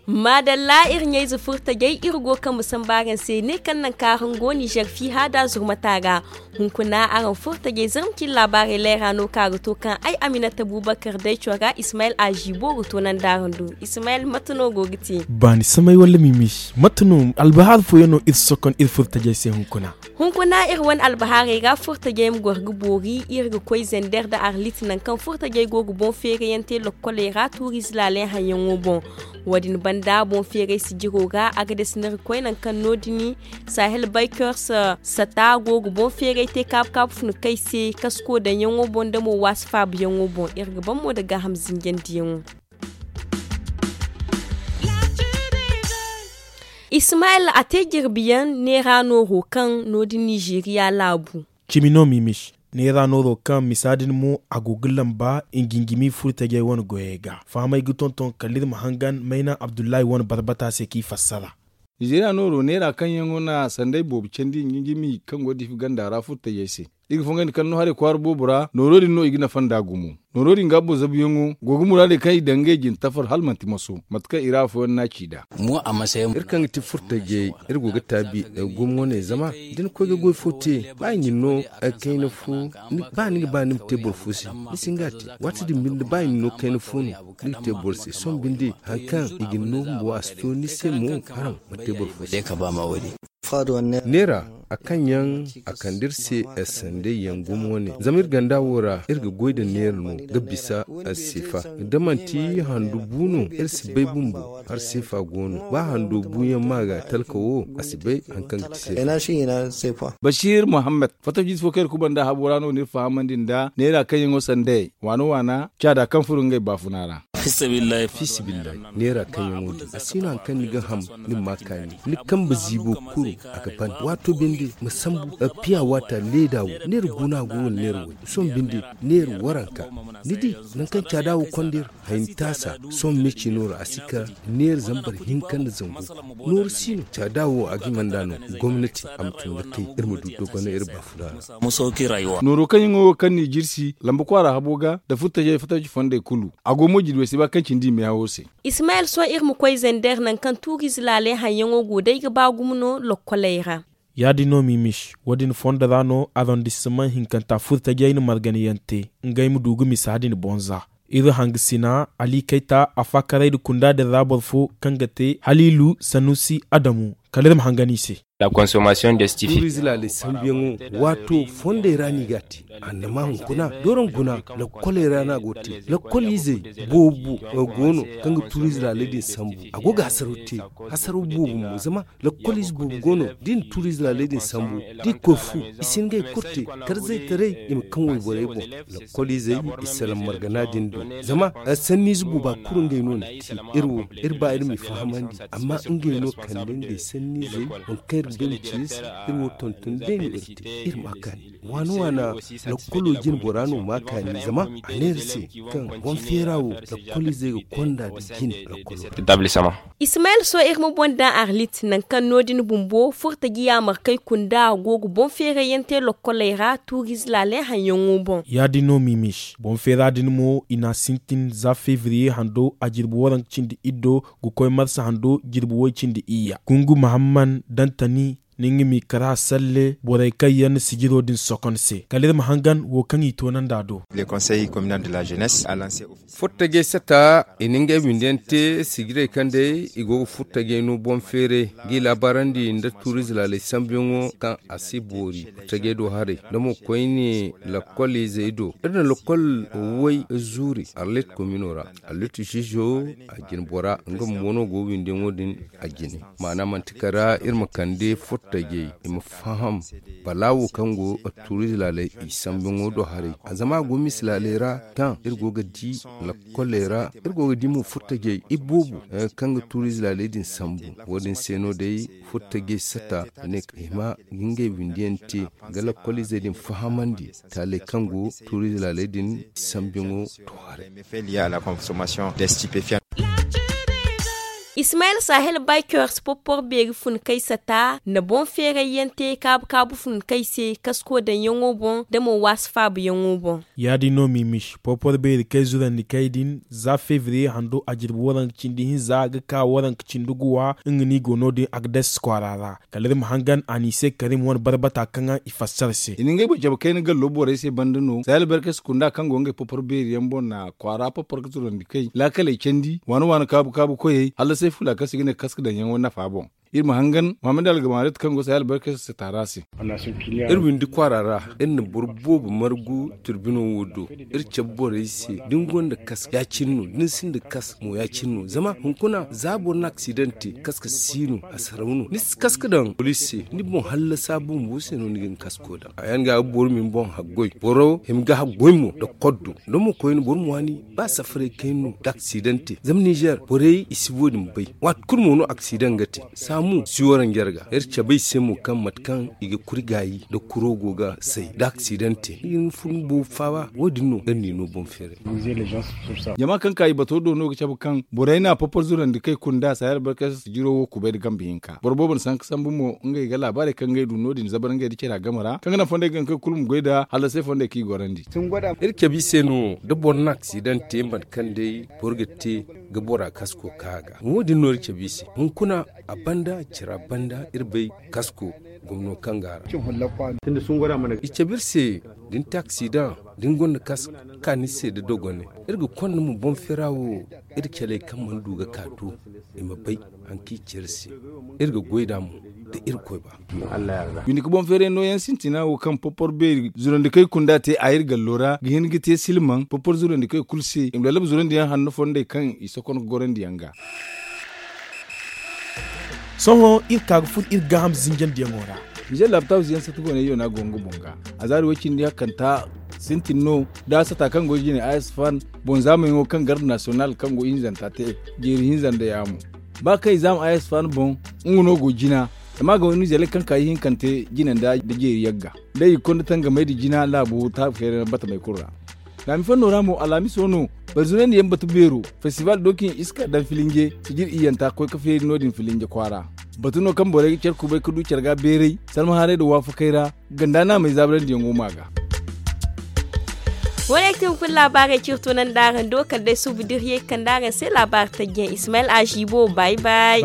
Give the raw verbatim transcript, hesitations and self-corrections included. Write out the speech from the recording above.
Maadalla, iri ɲayze furtajey, iri go ga kambe samba araŋ se ne kaŋ naŋ kaŋ araŋ go nizer fiha da zurmata ra. Hunkuna araŋ furtajey zarma cine laabaarey leera no kaŋ a ga to kaŋ ay aminata bubakar day cora ismayil azibo ga toonandi araŋ do. Ismayil, mate no go ga te? Baani samay wala mimisi, mate no albahar fooyaŋ no iri sokon iri furtajey se hunkuna? Hunkuna iri wane albahaarey ra furtajey ma goro ga boori iri ga koy zender nda arlit nangu kaŋ furtajey go ga boŋ feerayante lokkoley ra tuuriize laaley haŋyaŋo boŋ. Wo- din banda boŋ feeray sijiro ra a ga dasi no iri ga koy nangu kaŋ no- din sahel baykers sata go ga boŋ feeray te kaabu kaabu funa kay se kasko daŋyaŋo boŋ nda mo waasi faabuyaŋo boŋ iri ga ban mo nda gaaham zinjandiyaŋo. Ismayil a te jirbiyaŋ neera nooro kaŋ no- din nizeeriya laabu. Cimi no mimis neera nooro kaŋ misa din mo a go ga lamba ngingimi furtajey wane goyey ga fahamey ga tonton kala iri ma hangan mayna abdullahi wane barbata se kaŋ i fassara. Nizeeriya nooro neera kaŋ yaŋo na sanday boobo candi ngingimi kaŋ go ga diifi ganda ra furtajey se. Iri ga fongandi kala no haray kwaara boobo ra nooro din no i ga nafa nd'a gumo. Nooro din ga boro zabuyaŋo go ga muraadey kaŋ i daŋ ngey jine tafar hala manti maso mate kaŋ i ra afooyaŋ no a ci nd'a. Iri kaŋ ga ti furtajey iri go ga taabi gumo wane zama da ni koy ga goy fo te ba i na ni no kayna fo. Ba ni ga ba ni ma te boro fo se ni si hin ga a te. Waati din binde ba i na ni no kayna fo no ni ga te boro se sohõ binde hari kaŋ i ga ni no bumbo a si to ni se mo haraŋ ma te boro fo se. Neera a kaŋ yaŋ a kande iri se sanday yaŋ gumo wane zama iri ganda wo ra iri ga goy nda neera no ga bisa seefa. Da manti handu bu no iri si bay bumbo hari seefa go no ba hando buyaŋ ma ga talka wo a si bay hari kaŋ ga ti seefa. Bashir muhammad fattajiize fo kaŋ iri kubanda habo ra no no iri fahamandi nda neera kaŋ yaŋo sanday waana waana caada kaŋ furo ngey baafuna ra. Fiisabilillahi neera kaŋ yaŋo din a si no hari kaŋ ni ga ham ni ma ma kaani ni kambe ziibo kuru a ga ban waato binde ma sambu piya waata leeda wo neera guna go wala neera way sohõ binde neera waranka. Ni di nangu kaŋ caada wo konda iri hayni taasa sohõ me ciino ra a si ka neera zambar hinka nda zangu nooru si no caada wo a ga hima nd'a no gomnati a ma tun ga kay iri ma du dogonay iri baafuna ra. Nooro kaŋ yaŋo wo kaŋ n'i jirsi lamba kwaara habo ga nda furtajey fattaji fondey kulu a go mo jirwey se ba kaŋ cindi i meehawo se. Ismayil sohõ iri ma koy zender nangu kaŋ tuuriize laaley haŋyaŋo go day ga ba gumo no lokkoley ra. Ya- din no mimis wo- din fondo ra no arondissement hinkanta furtajey na marganayaŋ te ngey ma du ga misa din boŋ za. Iri hangasina ali kayta a faakaray nda kunda din ra boro fo kaŋ ga te haliilu sanusi adamu kala iri ma hangan i se. Tuuriize laaley sambuyaŋo waato fondey ra no i ga a te. Annama hunkuna doron guna lakkoley ra no a go ga te lakkol izey boobo go no kaŋ ga tuuriize laaley din sambu a go ga hasaraw te. Hasaraw boobo mo zama lakkol ize boobo go no da i na tuuriize laaley din sambu da i koy fu i si hin ga i kulu te. Tarzaytaray i ma kaŋ wayborey boŋ lakkol izey i salaŋ margana din do. Zama sanniize booba kulu ngey no na te. Iri wo iri ba iri m'i fahamandi amma ngey no kande ngey sanniizey waŋ kaŋ iri ga bay ma ci iri se. Iri wo tonton day no iri te iri ma a kaani waana waana lakkolo jine bora no ma a kaani zama a ne iri se kaŋ boŋ feera wo lakkol izey ga konda nda jine lakkolo ra. Ismayil sohõ iri ma boŋ daŋ arlit nangu kaŋ no- din bumbo furtaji yaamarkey kunda go ga boŋ feerayyaŋ te lokkoley ra tuuriize laaley haŋyaŋo boŋ. Ya- din no mimis boŋ feera din mo i n'a sintin za fevriye hando a jirbi waranka cindi iddo ga koy marsa hando jirbi way cindi iyya gungu mahamman dantani. Ni nga m'i kara salle borey kaŋ yaŋ na sijiro din sokon se kala iri ma hangan wo kaŋ i toonandi a do. Furtajey sata i na ngey windiyaŋ te sijirey kaŋ day i go ga furtajey no boŋ feeray ga i laabaarandi nda tuuriize laaley sambuyaŋo kaŋ a si boori furtajey do haray nda mo koyne lakkol izey do iri na lakkol way zuuri arlit komino ra. Arlit ziizo a jine bora nga bumbo no go windiyaŋo din a jine. Maana manti kala iri ma kande furtajey i ma faham balaawo kaŋ go tuuriize laaley i sambuyaŋo do haray zama a go misi laaley ra kaŋ iri go ga di lakkoley ra iri go ga di mo furtajey iboobo kaŋ ga tuuriize laaley din sambu. Wo- din se no day furtajey sata ne i ma ga ngey windiyaŋ te ga lakkol izey din fahamandi taaley kaŋ go tuuriize laaley din sambuyaŋo do haray. Lié à la consommation des stupéfiants. Ismayel sahel baykers porpor beeri fun kay sata na boŋ feeray yaŋ te kaabu kaabu fun kay se kasko daŋ yaŋo boŋ da mo waasi faabu yaŋo boŋ. Ya- din no mimis porpor beeri kay zurandi kay din za febriye hando a jirbi waranka cindi hinza ga ka waranka cindi guwa nga no i go no- din agdes kwaara ra. Kala iri ma hangan a n'i se karim wane barbata kaŋ i fassara se. I na ngey boŋ cabe kayna gallo borey se banda no sahel berkes kunda kaŋ go ngey porpor beeri yaŋ boŋ na kwaara porpor ga zurandi kay laakaley candi waani waani kaabu kaabu koyey hala say fula kaŋ se i ga ne kaska daŋ yaŋo nafa boŋ. Iri ma hangan muhammad algamarit kaŋ go sahel berkes se taara se. Iri windi kwaara ra iri na boro boobo margu turbino wo do. Iri cabe borey se da ni gonda kaska ya- cine no da ni sinda kaska mo ya- cine no zama hunkuna za boro na aksidante kaska si no a saraw no ni si kaska daŋ poliisi se ni boŋ hallasa bumbo se no ni ga ni kasko daŋ a yaŋ ga ga boro ma ni boŋ haggoy boro hima ga haggoy mo nda koddo. Da mo koyne boro ma waani ba safaray kayna no da aksidante zama nizer borey i si wo- din bay. Waati kulu mo no aksidan ga te saamu si wara njarga iri cabe i se mo kaŋ mate kaŋ i ga kuri gaayi nda kuro go ga say da aksidante ni ga ni fun boobo faaba wo- din no iri n'i no boŋ feeray. Jama kaŋ ka i bato do no ga cabe kaŋ borey na porpor zurandi kay kunda sahel barkay se jiro wo kubay nda gambe hinka boro boobo na sanka sambu mo ngey ga laabaarey kaŋ ngey du no- din zabar ngey nda care a game ra kaŋ ga naŋ fondey ga naŋ kaŋ kulu ma goy nda hallasey fondey kaŋ i gorandi. Iri cabe i se no da boro na aksidan te mate kaŋ day boro ga te ga bora kasko ka a ga wo- din no iri cabe i se hunkuna a banda care a banda iri bay kasko gomno kaŋ ga a ra. I cabe iri se da ni te aksidan da ni gonda kasko ka ni se nda dogone iri ga konda mo boŋ feera wo iri caley kaŋ mana du ga ka to i ma bay hari kaŋ i ci iri se. Iri ga goy nd'a mo da irkoy ba. Binde ka boŋ feeray nooyaŋ sintina wo kaŋ porpor beeri zurandikey kunda te a iri gallo ra ga hin ga te silmaŋ porpor zurandikey kulu se i ma lallaba zurandiyaŋ hanno fondey kaŋ i sokon ga gorandi yaŋ ga. Sohõ iri ka ga furo iri gaaham zinjandiyaŋo ra. Nizer laabtaabu siyaŋ sata goonay yona go nga boŋ ga. A zaari way cindi hakkanta sintin no da a sata kaŋ go jine a s fan boŋ zaamayaŋo kaŋ garde nasiyonal kaŋ go ihinzanta te jeeri hinza nda yaamo. Ba kaŋ i zaama a s fan boŋ nga no go jina zama a ga waynu izeley kaŋ ka ihinkante jine nda jeeri yagga. Day i ga konda tangamey nda jina laabo taabu feerayna batamey kulu ra. Laami fanno ra mo alhamiso no barzunandi yaŋ batu beero festival dokin iska daŋ filinje sijir iyanta koy ka feeri no- din filinje kwaara. Batu no kaŋ borey ga care kubay ga du care ga beeray salmahaarey nda waafakey ra ganda naamey zaabarandiyaŋo ma ga. Wo- ne kaŋ ga fun laabaarey ciri tunandi araŋ do kala day suubu da iri ye ga kande araŋ se laabaari tajjiyaŋ ismayel aziibo bay bay.